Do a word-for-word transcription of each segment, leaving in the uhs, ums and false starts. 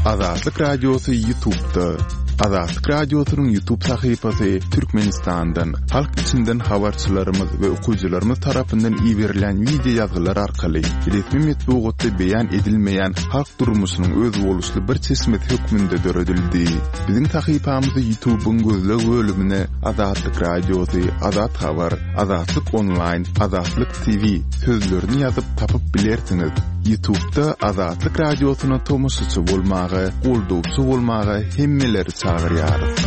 Azatlyk Radiosy YouTube'da. Azatlyk Radiosynyň YouTube sahypasy Türkmenistandan, halk içinden habarçylarymyz we okyjylarymyz tarapyndan iberilen wideo ýazgylar arkaly resmi metbugatda beýan edilmeýän halk durmuşynyň özboluşly bir çeşmesi hökmünde döredildi. Biziň sahypamyzy YouTube'yň gözleg bölümine Azatlyk Radiosy, Azat Habar, Azatlyk Online, Azatlyk T V sözlerini ýazyp tapyp bilersiňiz. YouTube'da Azatlyk Radiosyna tomaşaçy bolmaga, goldawçy bolmaga hemmeleri çagyrýarys.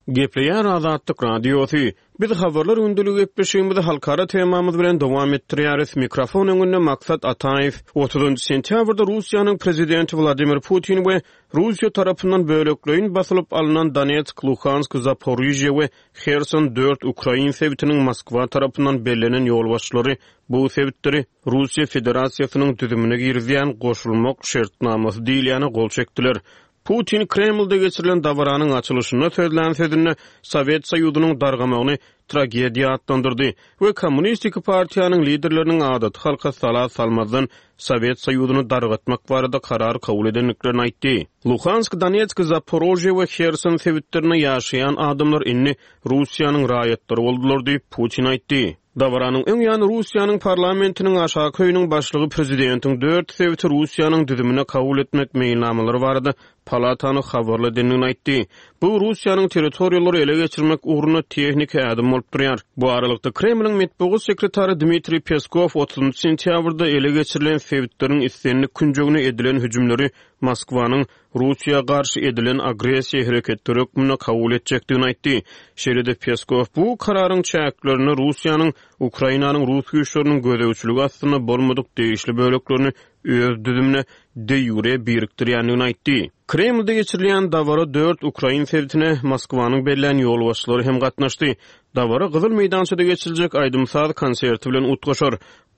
Gepleýär Azatlyk Radiosy. Biz habarlar gündeligi gepleşigimizi halkara temamyz bilen dowam etdirýäris. Mikrofon öňünde Maksat Ataýew. otuzynjy sentýabrda Russiýanyň prezidenti Wladimir Putin we Russiýa tarapyndan bölekleýin basylyp alnan Donetsk, Luhansk, Zaporižýa we Herson dört ukrain sebitiniň Moskwa tarapyndan bellenen ýolbaşçylary bu sebitleri Russiýa Federasiýasynyň düzümine girizýän goşulmak şertnamasy diýilýäne gol çekdiler. Putin Kremlde geçirilen dabaranyň açylyşynda sözlän sözünde Sowet Soýuzynyň dargamagyny tragediýa atlandyrdy we Kommunistik partiýanyň liderleriniň adaty halka sala salmazdan Sowet Soýuzyny dargatmak barada karar kabul edendiklerini aýtdy. Luhansk, Donetsk, Zaporožýe we Herson sebitlerinde ýaşaýan adamlar indi Russiýanyň raýatlary boldular diýip, Putin aýtdy. Dabaranyň öň ýany Russiýanyň parlamentiniň aşaky öýüniň başlygy prezidentiň dört sebiti Russiýanyň düzümine kabul etmek meýilnamalary barada palatany habarly edendigini aýtdy. Bu Russiýanyň territoriýalary ele geçirmek ugrunda tehniki ädim bolup durýar. Bu aralykda Kremliň metbugat sekretary Dmitriý Peskow otuzynjy sentýabrda ele geçirilen sebitleriň islendik künjegine edilen hüjümleri Moskwanyň Russiýa garşy edilen agressiýa hereketleri hökmünde kabul etjekdigini aýtdy. Şeýle-de Peskow bu kararyň çäklerinde Russiýanyň Ukrainanyň rus güýçleriniň gözegçiligi astynda bolmadyk degişli böleklerini öz düzümine de ýure birikdirýändigini aýtdy. Kremlde geçirilýän dabara dört ukrain sebitine Moskwanyň bellän ýolbaşçylary hem gatnaşdy. Dabara Gyzyl meýdançada geçiriljek aýdym-saz konserti bilen utgaşar.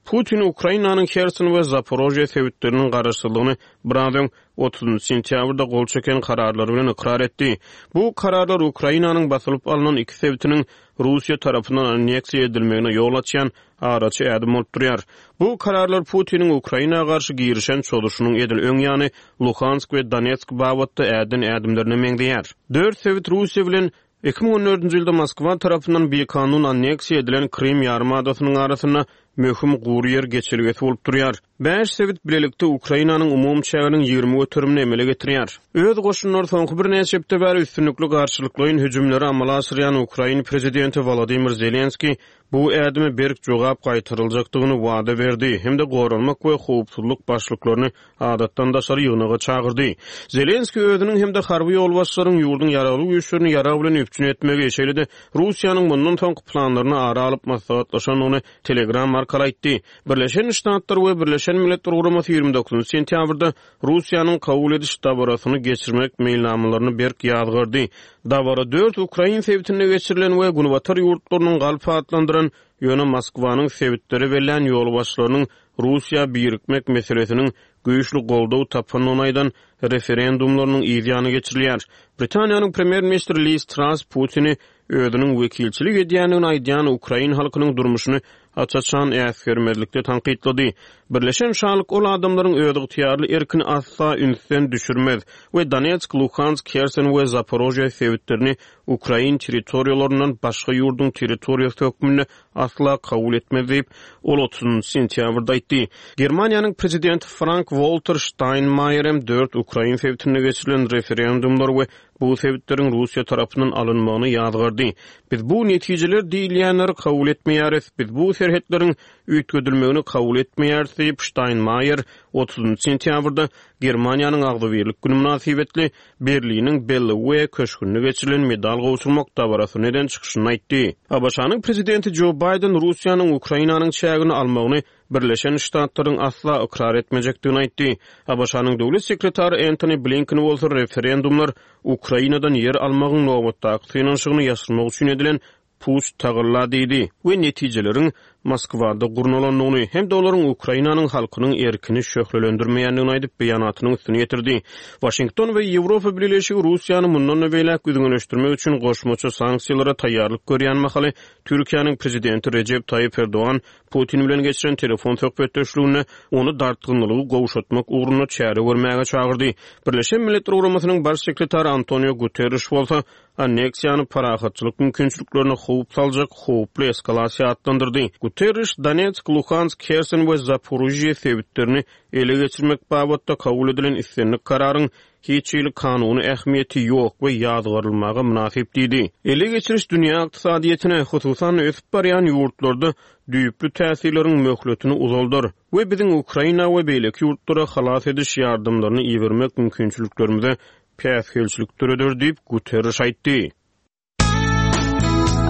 Putin Ukrainanyň Herson we Zaporožýe sebitleriniň garaşsyzlygyny biraz öň otuzynjy sentýabrda gol çeken kararlary bilen ykrar etdi. Bu kararlar Ukrainanyň basylyp alnan iki sebitiniň Russiýa tarapyndan anneksiýa edilmegine ýol açýan araçy ädim bolup durýar. Bu kararlar Putiniň Ukraina garşy girişen çozuşynyň edil öň ýany Luhansk we Donetsk babatda äden ädimlerine meňzeýär. Dört sebit Russiýa bilen iki müň on dördünji ýylda Moskwa tarapyndan bikanun anneksiýa edilen Krym ýarymadasynyň arasynda möhüm gury ýer geçelgesi bolup durýar. Bäş sebit bilelikde Ukrainanyň umumy çäginiň ýigrimi göterimini emele getirýär. Öz goşunlary soňky birnäçe hepde bäri üstünlikli garşylyklaýyn hüjümleri amala aşyrýan Ukrain prezidenti Wolodymyr Zelenskiý bu ädime berk jogap gaýtaryljakdygyny wada berdi hem-de goranmak we howpsuzlyk başlyklaryny adatdan daşary ýygnaga çagyrdy. Zelenskiý özüniň hem-de harby ýolbaşçylaryň ýurduň ýaragly güýçlerini ýarag bilen üpjün etmegi, şeýle-de Russiýanyň mundan soňky planlaryny ara alyp maslahatlaşandygyny Telegram arkaly aýtdy. Birleşen Ştatlar we Birleşen Milletler Guramasy ýigrimi dokuzynjy sentýabrda Russiýanyň kabul ediş dabarasyny geçirmek meýilnamalaryny berk ýazgardy. Dabara dört ukrain sebitinde geçirilen we Günbatar ýurtlarynyň galp atlandyran, ýöne Moskwanyň sebitleri bellän ýolbaşçylarynyň Russiýa birikmek meselesiniň güýçli goldaw tapandygyny aýdan referendumlarynyň yz ýany geçirilýär. Britaniýanyň premýer-ministri Liz Truss Putini özüniň wekilçilik edýändigini aýdýan ukrain halkynyň durmuşyny aç-açan äsgermezlikde tankytlady. Birleşen Şalyk ol adamlaryň özygtyýarly erkini asla ünsden düşürmez we Donetsk, Luhansk, Herson we Zaporožýe sebitlerini ukrain territoriýalaryndan başga ýurduň territoriýasy hökmünde asla kabul etmez diýip, ol otuzynjy sentýabrda aýtdy. Germaniýanyň prezidenti Frank-Walter Steinmeier hem dört ukrain sebitinde geçirilen referendumlar we bu sebitleriň Russiýa tarapyndan alynmagyny ýazgardy. Biz bu netijeler diýilýänleri kabul etmeýäris, biz bu serhetleriň üýtgedilmegini kabul etmeýäris diýip, Steinmeier otuzynjy sentýabrda Germaniýanyň agzybirlik günü mynasybetli Berliniň Bellevue köşgünde geçirilen medal gowşurmak dabarasyny eden çykyşyny aýtdy. A B Ş-nyň prezidenti Joe Biden Russiýanyň Ukrainanyň çägini almagyny Birleşen Ştatlaryň asla ykrar etmejekdigini aýtdy. A B Ş-nyň döwlet sekretary Antony Blinken bolsa referendumlar Ukrainadan ýer almagyň nobatdaky synanyşygyny ýaşyrmak üçin edilen puç tagalla diýdi we netijeleriň Moskwada gurnalandygyny hem-de olaryň Ukrainanyň halkynyň erkini şöhlelendirmeýändigini aýdyp, beýanatynyň üstüni ýetirdi. Waşington we Ýewropa Bileleşigi Russiýany mundan-da beýläk üzňeleşdirmek üçin goşmaça sanksiýalara taýýarlyk görýän mahaly Türkiýäniň prezidenti Rejep Taýyp Erdogan Putin bilen geçiren telefon söhbetdeşliginde ony dartgynlygy gowşatmak ugrunda çäre görmäge çagyrdy. Birleşen Milletler Guramasynyň baş sekretary Antonio Guterres bolsa anneksiýany parahatçylyk mümkinçiliklerine howp saljak howply eskalasiýa atlandyrdy. Guterres Donetsk, Luhansk, Herson we Zaporizhye sebitlerini ele geçirmek babatda kabul edilen islendik kararyň hiç hili kanuny ähmiýeti ýok we ýazgarylmaga mynasyp diýdi. Ele geçiriş dünýä ykdysadyýetine, hususan ösüp barýan ýurtlarda düýpli täsirleriň möhletini uzaldar we biziň Ukraina we beýleki ýurtlara halas ediş ýardamlaryny ibermek mümkinçiliklerimize päsgelçilik döreder diýip Guterres aýtdy.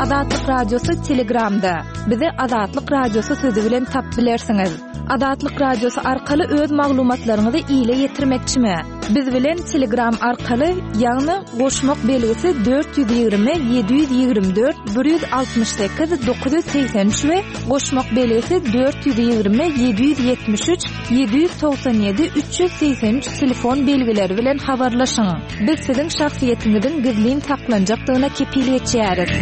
Azatlyk Radiosy Telegramda. Bizi Azatlyk Radiosy sözi bilen tap bilersiňiz. Azatlyk Radiosy arkaly öz maglumatlaryňyzy ile ýetirmekçimi? Biz bilen Telegram arkaly, ýagny goşmak belgisi dört ýüz ýigrimi ýedi ýüz ýigrimi dört bir ýüz altmyş sekiz dokuz ýüz segsen üç we goşmak belgisi dört ýüz ýigrimi ýedi ýüz ýetmiş üç ýedi ýüz togsan ýedi üç ýüz segsen üç telefon belgileri bilen habarlaşyň. Biz siziň şahsyýetiňiziň gizlin saklanjakdygyna kepil geçýäris.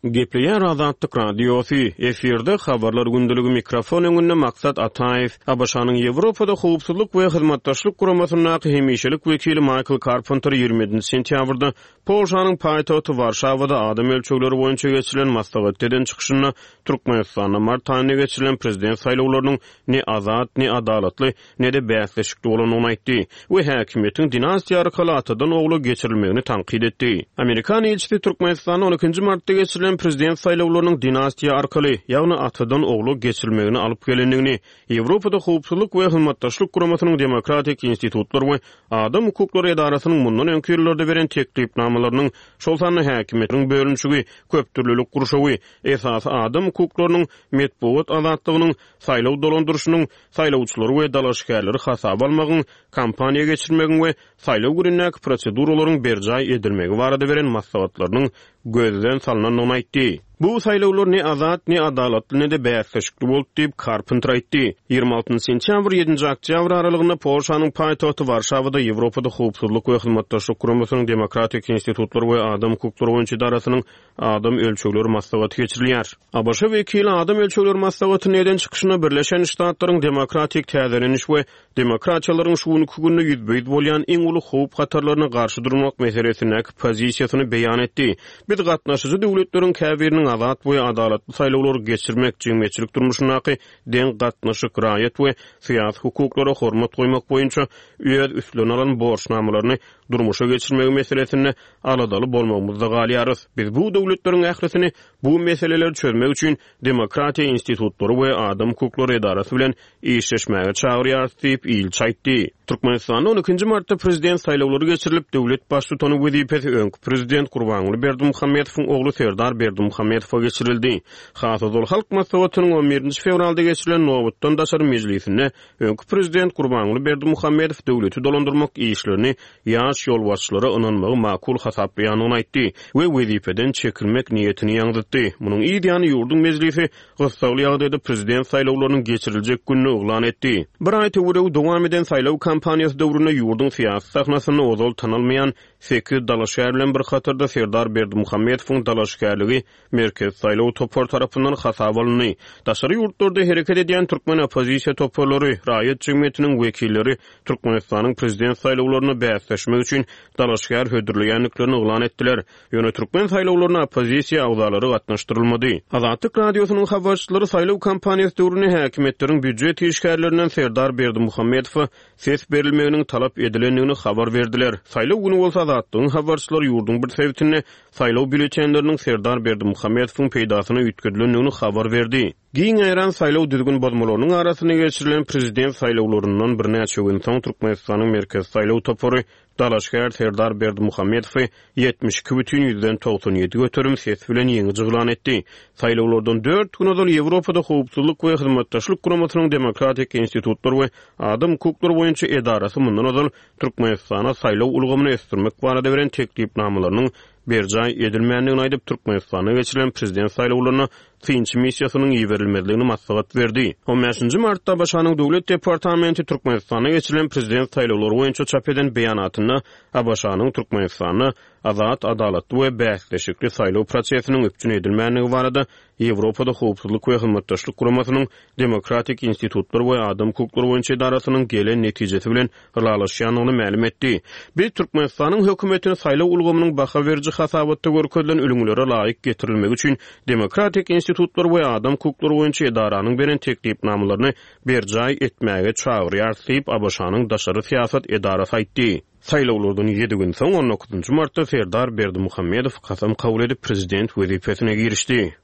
Gepleýär Azatlyk Radiosy, efirde habarlar gündeligi mikrofon öňünde Maksat Ataýew, A B Ş-nyň Ýewropada howpsuzlyk we hyzmatdaşlyk guramasyndaky hemişelik wekili Michael Carpenter ýigrimi ýedinji sentýabrda Polşanyň paýtagty Warşawada adam ölçegleri boýunça geçirilen maslahatda eden çykyşynda Türkmenistanda mart aýynda geçirilen prezident saýlawlarynyň ne azat, ne adalatly, ne-de bäsleşikli bolandygyny aýtdy we häkimiýetiň dinastiýa arkaly atadan ogla geçirilmegini tankyt etdi. Amerikan ilçisi Türkmenistanda on ikinji martda geçirilen prezident saýlawlarynyň dinastiýa arkaly, ýagny atadan ogla geçirilmegini alyp gelendigini, Ýewropada howpsuzlyk we hyzmatdaşlyk guramasynyň demokratik institutlar we adam hukuklary edarasynyň mundan öňki ýyllarda beren teklipnamalarynyň, şol sanda häkimiýetiň bölünişigi, köpdürlülik gurşawy, esasy adam hukuklarynyň, metbugat azatlygynyň, saýlaw dolandyryşynyň, saýlawçylary we dalaşgärleri hasaba almagyň, kampaniýa geçirmegiň we saýlaw günündäki proseduralaryň berjaý edilmegi barada beren maslahatlarynyň gözden salynandygyny aýtdy. Bu saýlawlar ne azat, ne adalatly, ne-de bäsleşikli boldy diýip Carpenter aýtdy. Ýigrimi altynjy sentýabr ýedinji oktýabr aralygynda Polşanyň paýtagty Warşawada Ýewropada howpsuzlyk we hyzmatdaşlyk guramasynyň demokratik institutlar we adam hukuklary boýunça edarasynyň adam ölçegleri maslahaty geçirilýär. A B Ş wekili adam ölçegleri maslahatyny eden çykyşynda Birleşen Ştatlaryň demokratik täzeleniş we demokratiýalaryň şu günki günde ýüzbe-ýüz bolýan iň uly howp hatarlaryna garşy durmak meselesindäki pozisiýasyny beýan etdi. Biz gatnaşyjy döwletleriň käbiriniň azat we adalatly saýlawlary geçirmek, jemgyýetçilik durmuşyndaky deň gatnaşyk, raýat we syýasy hukuklara hormat goýmak boýunça öz üstlerine alan borçnamalaryny durmuşa geçirmegi meselesinde aladaly bolmagymyzda galýarys. Biz bu döwletleriň ählisini bu meseleleri çözmek üçin demokratiýa institutlary we adam hukuklary edarasy bilen işleşmäge çagyrýarys diýip ilçi aýtdy. Türkmenistanda on ikinji martda prezident saýlawlary geçirilip, döwlet baştutany wezipesi öňki prezident Gurbanguly Berdimuhamedowyň ogly Serdar Berdimuhamedowa geçirildi. Has ozal Halk Maslahatynyň on birinji fewralda geçirilen nobatdan daşary mejlisinde öňki prezident Gurbanguly Berdimuhamedow döwleti dolandyrmak işlerini ýaş ýolbaşçylara ynanmagy makul hasaplaýandygyny aýtdy we wezipeden çekilmek niýetini ýaňzytdy. Munuň ýany ýurduň mejlisi gyssagly ýagdaýda prezident saýlawlarynyň geçiriljek gününi yglan etdi. Bir aý töweregi dowam eden saýlaw kampaniýasy döwründe ýurduň syýasy sahnasynda ozal tanalmaýan sekiz dalaşgär bilen bir hatarda Serdar Berdimuhamedowyň dalaşgärligi Merkez saýlaw topary tarapyndan hasaba alyndy. Daşary ýurtlarda hereket edýän türkmen oppozisiýa toparlary, raýat jemgyýetiniň wekilleri Türkmenistanyň prezident saýlawlaryna bäsleşmek üçin dalaşgär hödürleýändiklerini yglan etdiler. Ýöne türkmen saýlawlaryna oppozisiýa agzalary gatnaşdyrylmady. Azatlyk Radiosynyň habarçylary saýlaw kampaniýasy döwründe häkimiýetleriň býujet işgärlerinden Serdar Berdimuhamedowa ses berilmeginiň talap edilendigini habar berdiler. Saýlaw güni bolsa Azatlygyň habarçylary ýurduň bir sebitinde saýlaw býulletenleriniň Serdar Berdimuhamedowyň peýdasyna üýtgedilendigini habar berdi. Giň ýaýran saýlaw düzgün bozmalarynyň arasynda geçirilen prezident saýlawlaryndan birnäçe gün soň Türkmenistanyň Merkezi saýlaw topary dalaşgär Serdar Berdimuhamedowy ýetmiş iki bütin ýüzden togsan ýedi göterim ses bilen ýeňiji yglan etdi. Saýlawlardan dört gün ozal Ýewropada howpsuzlyk we hyzmatdaşlyk guramasynyň demokratik institutlar we adam hukuklary boýunça edarasy mundan ozal Türkmenistana saýlaw ulgamyny ösdürmek barada beren teklipnamalarynyň berjaý edilmändigini aýdyp, Türkmenistana geçirilen prezident saýlawlaryna synçy missiýasynyň iberilmezligini maslahat berdi. On bäşinji martda ABŞ-nyň Döwlet departamenti Türkmenistanda geçirilen prezident saýlawlary boýunça çap eden beýanatynda ABŞ-nyň Türkmenistanda azat, adalatly we bäsleşikli saýlaw prosesiniň üpjün edilmändigi barada Ýewropada Howpsuzlyk we Hyzmatdaşlyk Guramasynyň Demokratik institutlar we adam hukuklary boýunça edarasynyň gelen netijesi bilen ylalaşýandygyny mälim etdi. Biz Türkmenistanyň hökümetini saýlaw ulgamynyň baha beriji hasabatda görkezilen ülňülere laýyk getirilmegi üçin Demokratik institutlar we adam hukuklary boýunça edaranyň beren teklipnamalaryny berjaý etmäge çagyrýarys diýip, ABŞ-nyň daşary syýasat edarasy aýtdy. Saýlawlardan ýedi gün soň, on dokuzynjy martda Serdar Berdimuhamedow kasam kabul edip, prezident wezipesine girişdi.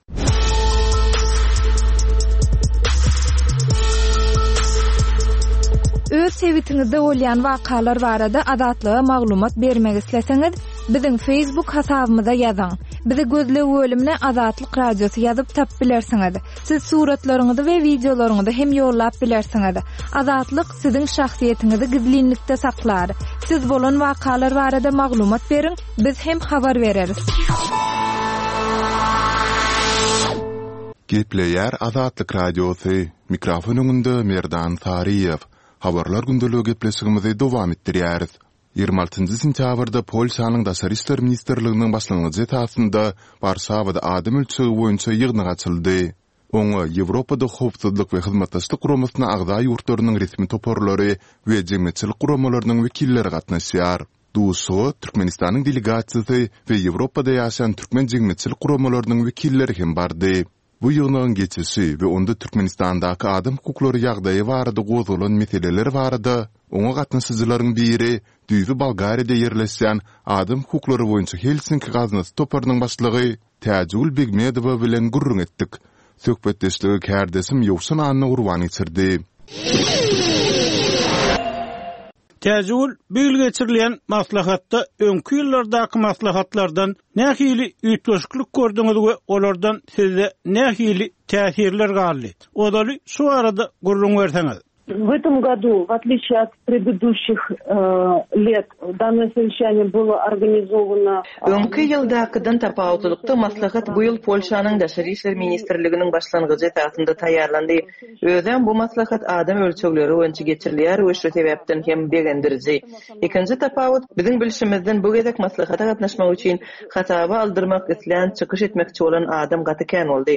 Öz sebitiňizde bolýan wakalar barada Azatlyga maglumat bermek isleseňiz, biziň Facebook hasabymyza ýazyň. Bizi gözleg bölümine Azatlyk Radiosy ýazyp tapyp bilersiňiz. Siz suratlaryňyzy we wideolaryňyzy hem ýollap bilersiňiz. Azatlyk siziň şahsyýetiňizi gizlinlikde saklar. Siz bolan wakalar barada maglumat beriň, biz hem habar bereris. Gepleýär Azatlyk Radiosy. Mikrofon öňünde Merdan Saryýew. Habarlar gündeligi gepleşigimizi dowam etdirýäris. Ýigrimi altynjy sentýabrda Polşanyň Daşary işler ministrliginiň başlangyjy esasynda Warşawada adam ölçegi boýunça ýygnak açyldy. Oňa Ýewropada Howpsuzlyk we Hyzmatdaşlyk Guramasyna agza ýurtlarynyň resmi toparlary we jemgyýetçilik guramalarynyň wekilleri gatnaşýar. Duşuşyga Türkmenistanyň delegasiýasy we Ýewropada ýaşaýan türkmen jemgyýetçilik guramalarynyň wekilleri hem bardy. Bu ýygnagyň geçişi we onda Türkmenistandaky adam hukuklary ýagdaýy barada gozgalan meseleler barada oňa gatnaşyjylaryň biri, düýbi Bolgariýada ýerleşýän Adam hukuklary boýunça Helsinki gaznasy toparynyň başlygy Täjigül Begmedowa bilen gürrüň etdik. Söhbetdeşligi kärdeşim Ýowşan Annagurban geçirdi. Täjigül, bu ýyl geçirilýän maslahatda öňki ýyllardaky maslahatlardan nähili üýtgeşiklik gördüňiz we olardan sizde nähili täsirler galdy? Ozaly şu barada gürrüň berseňiz. W этом году, в отличие от предыдущих лет, данное совещание было организовано Öňki ýyldakydan tapawutlylykda maslahat bu ýyl Polşanyň Daşary işler ministrliginiň başlangyjy esasynda taýýarlandy. Özem bu maslahat adam ölçegleri boýunça geçirilýär we şu sebäpden hem begendiriji. Ikinji tapawut, biziň bilşimizden bu gezek maslahata gatnaşmak üçin hasaba aldyrmak islän, çykyş etmekçi bolan adam gaty kän boldy.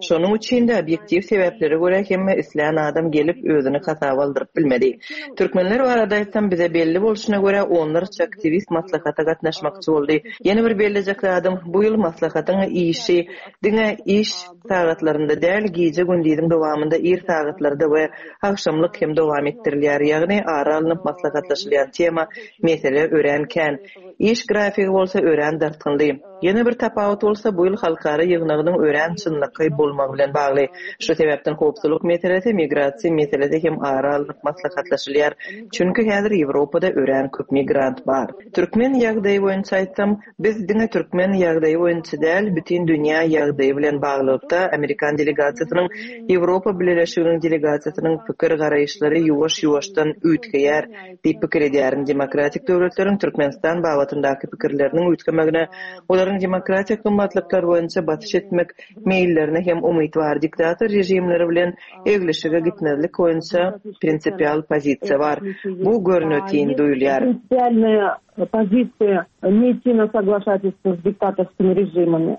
Şonuň üçin-de obýektiw sebäplere görä hemme islän adam gelip özüni hasaba aldyryp bilmedi. Türkmenler barada aýtsam bize belli bolşuna görä onlarça aktiwist maslahata gatnaşmakçy boldy. Ýene bir bellejek zadym bu ýyl maslahatyň işi diňe iş sagatlarynda däl gije-gündiziň dowamynda ir sagatlarda we agşamlyk hem dowam etdirilýär. Ýagny ara alnyp maslahatlaşylýan tema, mesele örän kän. Iş grafigi bolsa örän dartgynly. Ýene bir tapawut bolsa bu ýyl halkara ýygnagynyň örän çynlakaý bolmagy bilen bagly. Şu sebäpden howpsuzlyk meselesi, migrasiýa meselesi hem ara alnyp maslahatlaşylýar. Çünki häzir Ýewropada örän köp migrant bar. Türkmen ýagdaýy boýunça aýtsam, biz diňe türkmen ýagdaýy boýunça däl, bütin dünýä ýagdaýy bilen baglylykda amerikan delegasiýasynyň, Ýewropa Bileleşiginiň delegasiýasynyň pikir-garaýyşlary ýuwaş-ýuwaşdan üýtgeýär diýip pikir edýärin. Demokratik döwletleriň Türkmenistan babatyndaky pikirleriniň üýtgemegine, olaryň demokratik gymmatlyklar boýunça basyş etmek meýillerine hem umyt bar. Diktator režimleri bilen eglişige gitmezlik boýunça prinsipial pozisiýa bar. Bu görnetin duýulýar. Prinsipialnaýa pozisiýa ne idti na soglašatelstvo s diktatorskimi režimami.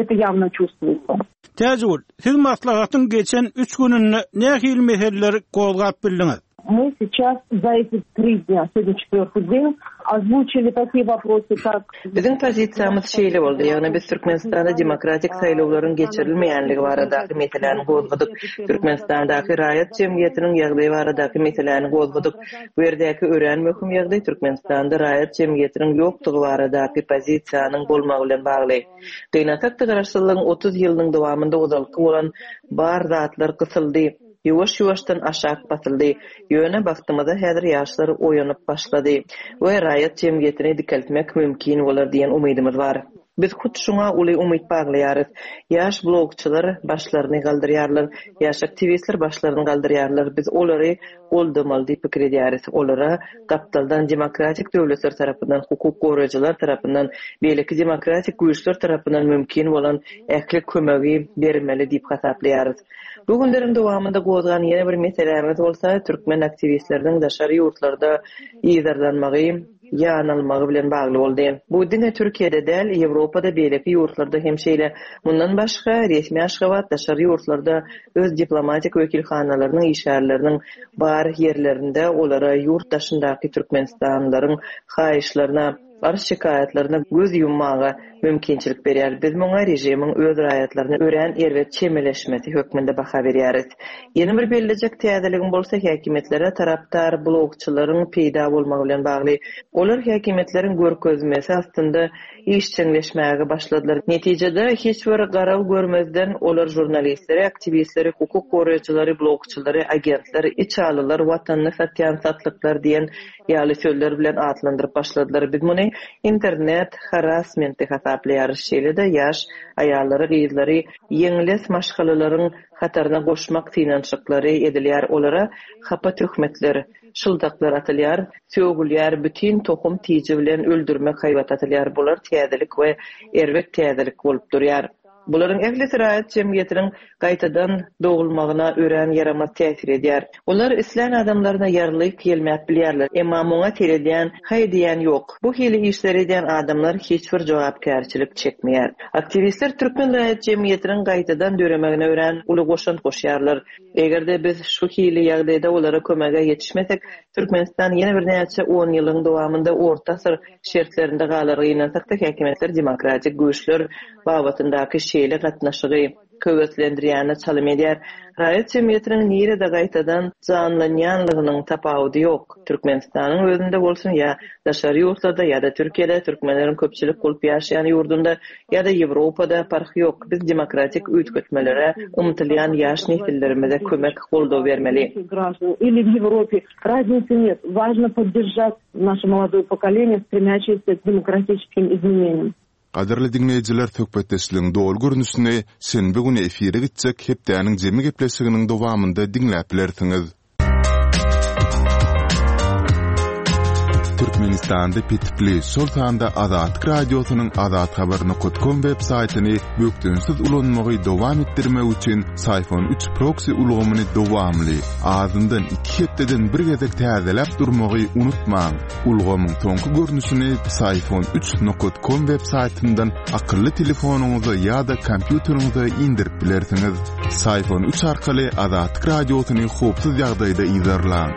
Это ýawno çувствуется. Täjigül, siz maslahatyň geçen üç gününde nähili meseleleri gozgap bildiňiz? Мы сейчас за эти три дня, сегодня четвертый день, озвучили такие вопросы, как Biziň pozisiýamyz şeýle boldy, ýagny biz Türkmenistanda demokratik saýlawlaryň geçirilmeýänligi baradaky meseläni gozgadyk. Türkmenistandaky raýat jemgyýetiniň ýagdaýy baradaky meseläni gozgadyk. Bu ýerdäki örän möhüm ýagdaý Türkmenistanda raýat jemgyýetiniň ýokdugy baradaky pozisiýanyň bolmagy bilen bagly. Gynansak-da garaşsyzlygyň otuz ýylynyň dowamynda ozalky bolan bar zatlar gysyldy, ýuwaş-ýuwaşdan aşak basyldy. Ýöne bagtymyza häzir ýaşlar oýanyp başlady we raýat jemgyýetini dikeltmek mümkin bolar diýen umydymyz bar. Biz hut şuňa uly umyt baglaýarys. Ýaş blogçylar başlaryny galdyrýarlar, ýaş aktiwistler başlaryny galdyrýarlar. Biz olary goldamaly diýip pikir edýäris. Olara gapdaldan demokratik döwletler tarapyndan, hukuk goraýjylar tarapyndan, beýleki demokratik güýçler tarapyndan mümkin bolan ähli kömegi bermeli diýip hasaplaýarys. Bu günleriň dowamynda gozgan ýene bir meselämiz bolsa, türkmen aktiwistleriniň daşary ýurtlarda yzarlanmagy, ýanalmagy bilen bagly boldy. Bu diňe Türkiýede däl, Ýewropada, beýleki ýurtlarda hem şeýle. Mundan başga, resmi Aşgabat daşary ýurtlarda öz diplomatik wekilhanalarynyň işgärleriniň bar ýerlerinde olara ýurt daşyndaky türkmenistanlylaryň haýyşlaryna, arz-şikaýatlaryna göz ýummaga mümkinçilik berýär. Biz muňa režimiň öz raýatlaryna örän erbet çemeleşmesi hökmünde baha berýäris. Ýene bir bellejek täzeligim bolsa häkimiýetlere tarapdar blogçylaryň peýda bolmagy bilen bagly. Olar häkimiýetleriň görkezmesi astynda işjeňleşmäge başladylar. Netijede hiç bir garaw görmezden olar žurnalistleri, aktiwistleri, hukuk goraýjylary, blogçylary, agentler, içalylar, watanyny satýan satlyklar diýen ýaly sözler bilen atlandyryp başladylar. Biz muny internet harassmenti hasaplaýarys. Şeýle-de ýaş aýallary, gyzlary ýeňles maşgalalaryň hataryna goşmak synanyşyklary edilýär. Olara hapa töhmetler, şyldaklar atylýar, sögülýär, bütin tohum tiji bilen öldürmek haýbat atylýar. Bular täzelik we erbet täzelik bolup durýar. Bularyň ählisi raýat jemgyýetiniň gaýtadan dogulmagyna örän ýaramaz täsir edýär. Olar islän adamlaryna ýarlyk ýelmäp bilýärler, emma muňa seredýän, haý diýen ýok. Bu hili işleri edýän adamlar hiç bir jogapkärçilik çekmeýär. Aktiwistler türkmen raýat jemgyýetiniň gaýtadan döremegine örän uly goşant goşýarlar. Eger-de biz şu hili ýagdaýda olara kömege ýetişmesek, Türkmenistan ýene birnäçe on ýylyň dowamynda orta asyr şertlerinde galar. Gynansakda häkimiýetler demokratik güýçler babatyndaky şeýle gatnaşygy höweslendirýäne çalym edýär. Raýat jemgyýetiniň nirede gaýtadan janlanýanlygynyň tapawudy ýok. Türkmenistanyň özünde bolsun ýa daşary ýurtlarda ýa-da Türkiýede türkmenleriň köpçülik bolup ýaşaýan ýurdunda ýa-da Ýewropada parhy ýok. Biz demokratik üýtgetmelere ymtylýan ýaş nesillerimize kömek goldaw bermeli. Или в Европе разницы нет. Важно поддержать наше молодое поколение, стремящееся к демократическим изменениям. Gadyrly diňleýjiler, söhbetdeşligiň doly görnüşini şenbe güni efire gitjek hepdäniň jemi gepleşiginiň dowamynda diňläp bilersiňiz. Türkmenistanda petipli, şol sanda Azatlyk Radiosynyň azathabar nokta com web saýtyny bökdençsiz ulanmagy dowam etdirmek üçin Syfon üç proxy ulgamyny dowamly, azyndan iki hepdeden bir gezek täzeläp durmagy unutmaň. Ulgamyň soňky görnüşini Syfon üç nokta com web saýtyndan akylly telefonyňyza ýa-da kompýuteriňize indirip bilersiňiz. Syfon üç arkaly Azatlyk Radiosyny howpsuz ýagdaýda yzarlaň.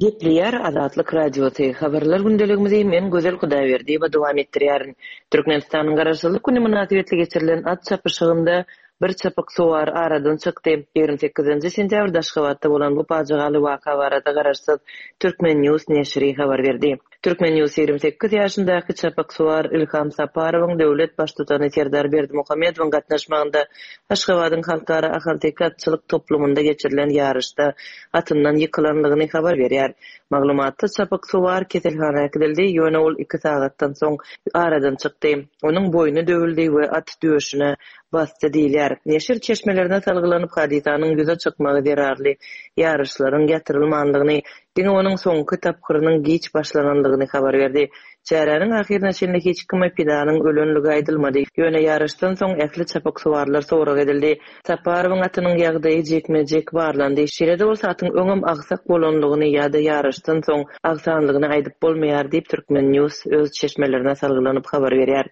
Gepleýär Azatlyk Radiosy. Habarlar gündeligimizi men Gözel Hudaýberdiýewa dowam etdirýärin. Türkmenistanyň Garaşsyzlyk güni mynasybetli geçirilen at çapyşygynda bir çapyk sowar aradan çykdy. Ýigrimi sekizinji sentýabrda Aşgabatda bolan bu pajygaly waka barada Garaşsyz Türkmen News neşiri habar berdi. Türkmen News ýigrimi sekiz ýaşyndaky çapyk sowar Ilham Saparowyň döwlet baştutany Serdar Berdimuhamedowyň gatnaşmagynda Aşgabadyň Halkara Ahalteke atçylyk toplumynda geçirilen ýaryşda atyndan ýykylanlygyny habar berýär. Maglumatda çapyk sowar keselhana äkidildi, ýöne ol iki sagatdan soň aradan çykdy. Onuň boýny döwüldi we at döşüne basdy diýilýär. Neşir çeşmelerine salgylanyp hadysanyň ýüze çykmagy zerarly ýaryşlaryň ýatyrylmanlygyny, diňe onuň soňky tapgyrynyň giç başlananlygyny habar berdi. Çäräniň ahyryna çenli hiç kime pidanyň ölenligi aýdylmady. Ýöne ýaryşdan soň ähli çapyk suwarlar sorag edildi. Saparowyň atynyň ýagdaýy jekme-jek barlandy. Şeýle-de bolsa atyň öňem agsak bolanlygyny ýa-da ýaryşdan soň agsanlygyny aýdyp bolmaýar diýip Türkmen News öz çeşmelerine salgylanyp habar berýär.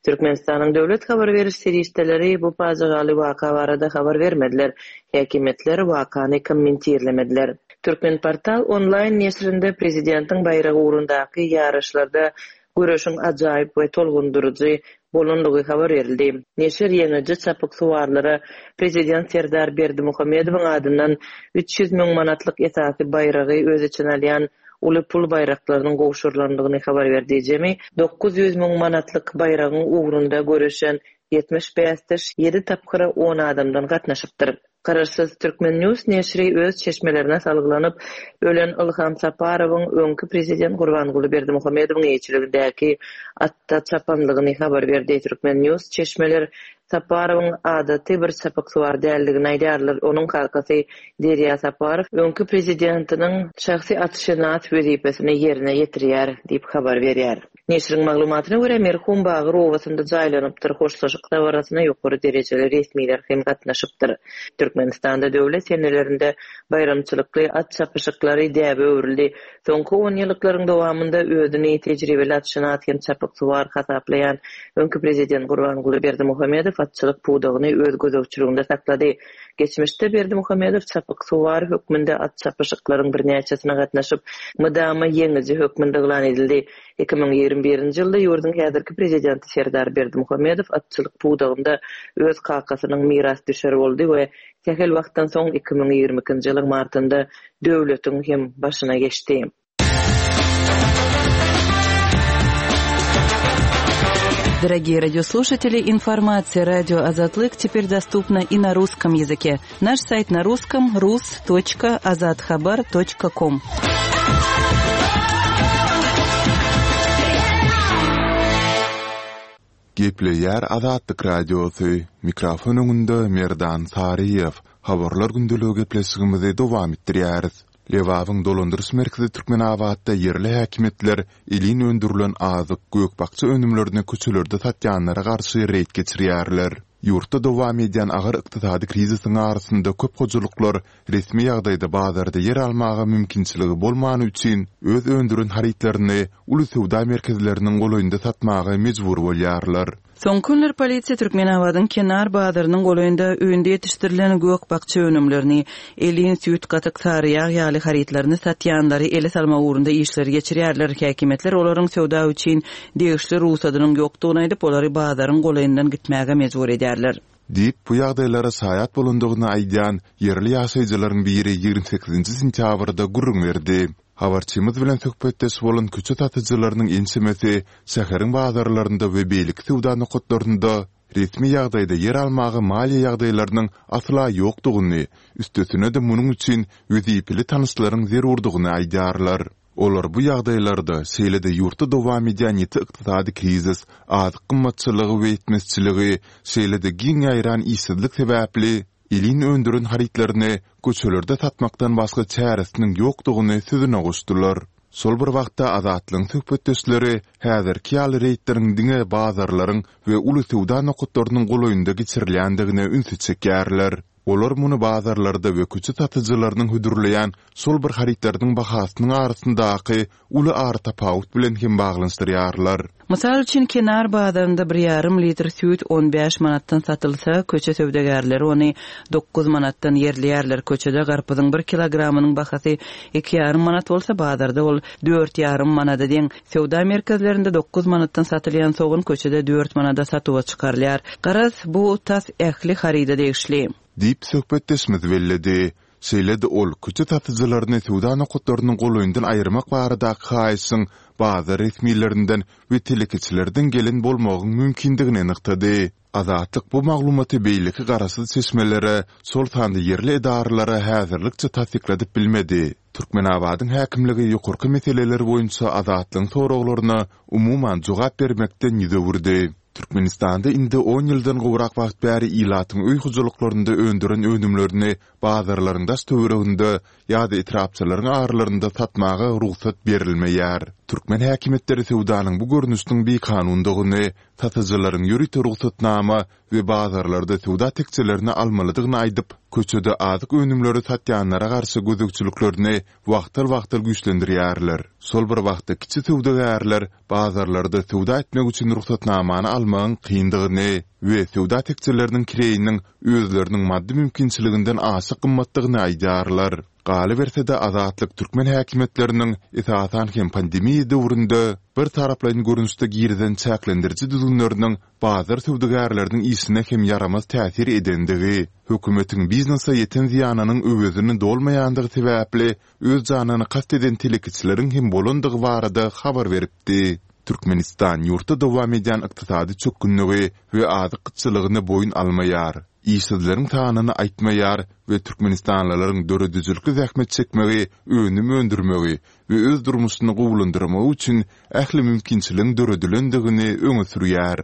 Türkmenistanyň döwlet habar beriş serişdeleri bu pajygaly waka barada habar bermediler. Häkimiýetler wakany kommentirlemediler. Türkmen Portal onlaýn neşirinde prezidentiň baýragy ugrundaky ýaryşlarda göreşiň ajaýyp we tolgundyryjy bolanlygy habar berildi. Neşir ýeňiji çapyk suwarlara prezident Serdar Berdimuhamedowyň adyndan üç ýüz müň manatlyk esasy baýragy öz içine alýan uly pul baýraklarynyň gowşurylandygyny habar berdi. Jemi dokuz ýüz müň manatlyk baýragyň ugrunda göreşen ýetmiş bäsdeş ýedi tapgyra on adamdan gatnaşypdyr. Garaşsyz Turkmen News neşiri öz çeşmelerine salgylanyp, ölen Ilham Saparowyň öňki prezident Gurbanguly Berdimuhamedowyň eýeçiligindäki atda çapanlygyny habar berdi. Turkmen News çeşmeler Saparowyň adaty bir çapyksuwar däldigini aýdýarlar. Onuň kakasy Derýa Saparow öňki prezidentiniň şahsy atşynas wezipesini ýerine ýetirýär diýip habar berýär. Neşiriň maglumatyna görä, merhum Bagyr obasynda jaýlanypdyr. Hoşlaşyk dabarasyna ýokary derejeli resmiler hem gatnaşypdyr. Türkmenistanda döwlet senelerinde baýramçylykly at çapyşyklary däbe öwrüldi. Soňky on ýyllyklaryň dowamynda özüni tejribeli atşynas hem çapyksuwar hasaplaýan öňki prezident Gurbanguly Berdimuhamedow atçylyk pudagyny öz gözegçiliginde saklady. Geçmişde Berdimuhamedow çapyksuwar hökmünde at çapyşyklaryň birnäçesine gatnaşyp, mydama ýeňiji hökmünde yglan edildi. Iki müň ýigrimi birinji ýylda ýurduň häzirki prezidenti Serdar Berdimuhamedow atçylyk pudagynda öz kakasynyň mirasdüşeri boldy we sähel wagtdan soň iki müň ýigrimi ikinji ýylyň martynda döwletiň hem başyna geçdi. Дорогие радиослушатели, информация радио Азатлык теперь доступна и на русском языке. Наш сайт на русском рус точка азатхабар точка ком. Gepleýär Azatlyk Radiosy. Mikrofon öňünde Merdan Saryýew. Habarlar gündeligi gepleşigimizi dowam etdirýäris. Lebabyň dolandyryş merkezi Türkmenabatda ýerli häkimiýetler elin öndürilen azyk, gök-bakja önümlerini köçelerde satýanlara garşy reýd geçirýärler. Ýurtda dowam edýän agyr ykdysady krizisiň arasynda köp hojalyklar resmi ýagdaýda bazarda ýer almaga mümkinçiligi bolmany üçin öz öndüren harytlaryny uly söwda merkezleriniň golaýynda satmaga mejbur bolýarlar. Soňky günler polisiýa Türkmenabadyň kenar bazarynyň golaýynda öýünde ýetişdirilen gök-bakja önümlerini, elin süýt gatyk sary ýag ýaly harytlaryny satýanlary ele salmak ugrunda işleri geçirýärler. Häkimiýetler olaryň söwda üçin degişli ruhsadynyň ýokdugyny aýdyp, olary bazaryň golaýyndan gitmäge mejbur edýärler. Diýip, bu ýagdaýlara şaýat bolandygyny aýdýan ýerli ýaşaýjylaryň biri ýigrimi sekizinji sentýabrda gürrüň berdi. Habarçymyz bilen söhbetdeş bolan köçe satyjylarynyň ençemesi şäheriň bazarlarynda we beýleki söwda nokatlarynda resmi ýagdaýda ýer almaga maliýe ýagdaýlarynyň asla ýokdugyny, üstesine-de munuň üçin wezipeli tanyşlaryň zerurdygyny aýdýarlar. Olar bu ýagdaýlarda şeýle-de ýurtda dowam edýän ýiti ykdysady krizis, azyk gymmatçylygy we ýetmezçiligi, şeýle-de giň ýaýran işsizlik sebäpli elin öndüren harytlaryny köçelerde satmakdan başga çäresiniň ýokdugyny sözüne goşdular. Şol bir wagtda Azatlygyň söhbetdeşleri häzirki ýaly reýdleriň diňe bazarlaryň we uly söwda nokatlarynyň golaýynda geçirilýändigine ünsi çekýärler. Olar muny bazarlarda we köçe satyjylarynyň hödürleýän şol bir harytlarynyň bahasynyň arasyndaky uly aratapawut bilen hem baglanyşdyrýarlar. Mysal üçin, kenar bazarynda bir ýarym litr süýt on bäş manatdan satylsa, köçe söwdagärleri ony dokuz manatdan ýerleýärler. Köçede garpyzyň bir kilogramynyň bahasy iki ýarym manat bolsa, bazarda ol dört ýarym manada deň. Söwda merkezlerinde dokuz manatdan satylýan sogan köçede dört manada satuwa çykarylýar. Garaz, bu tas ähli haryda degişli. Diýip söhbetdeşimiz belledi. Şeýle-de ol köçe satyjylaryny söwda nokatlarynyň golaýyndan aýyrmak baradaky haýyşyň bazar resmilerinden we telekeçilerden gelen bolmagyň mümkindigini nygtady. Azatlyk bu maglumaty beýleki garaşsyz çeşmelere, şol sanda ýerli edaralara häzirlikçe tassykladyp bilmedi. Türkmenabadyň häkimligi ýokarky meseleler boýunça Azatlygyň soraglaryna umuman jogap bermekden ýüz öwürdi. Türkmenistanda indi on ýyldan gowrak wagt bäri ilatyň öý hojalyklarynda öndüren önümlerini bazarlaryň daş töwereginde ýa-da etrapçalaryň aralarynda satmaga rugsat berilmeýär. Türkmen häkimiýetleri söwdanyň bu görnüşiniň bikanundygyny, satyjylaryň ýörite rugsatnama we bazarlarda söwda tekjelerini almalydygyny aýdyp, köçede azyk önümleri satýanlara garşy gözegçiliklerini wagtal-wagtal güýçlendirýärler. Şol bir wagtda kiçi söwdagärler bazarlarda söwda etmek üçin rugsatnamany almagyň kyndygyny we söwda tekjeleriniň kireýiniň özleriniň maddy mümkinçiliginden aşa gymmatdygyny aýdýarlar. Galyberse-de Azatlyk türkmen häkimiýetleriniň esasan hem pandemiýa döwründe bir taraplaýyn görnüşde girizen çäklendiriji düzgünleriniň bazar söwdagärleriniň işine hem ýaramaz täsir edendigi, hökümetiň biznese ýeten zyýanynyň öwezini dolmaýandygy sebäpli öz janyny kast eden telekeçileriň hem bolandygy barada habar beripdi. Türkmenistan ýurtda dowam edýän ykdysady çökgünligi we azyk gytçylygyny boýun almaýar. işsizleriň sanyny aýtmaýar we türkmenistanlylaryň döredijilikli zähmet çekmegi, önüm öndürmegi we öz durmuşyny gowulandyrmagy üçin ähli mümkinçiligiň döredilendigini öňe sürýär.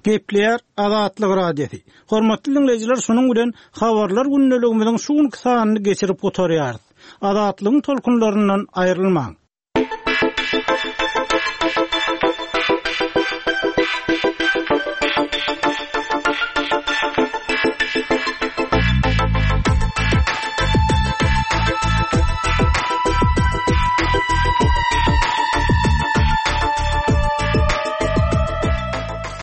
Gepleýär Azatlyk Radiosy. Hormatly diňleýjiler, şunuň bilen habarlar gündeligimiziň şu günki sanyny geçirip gutarýarys. Azatlygyň tolkunlaryndan aýrylmaň.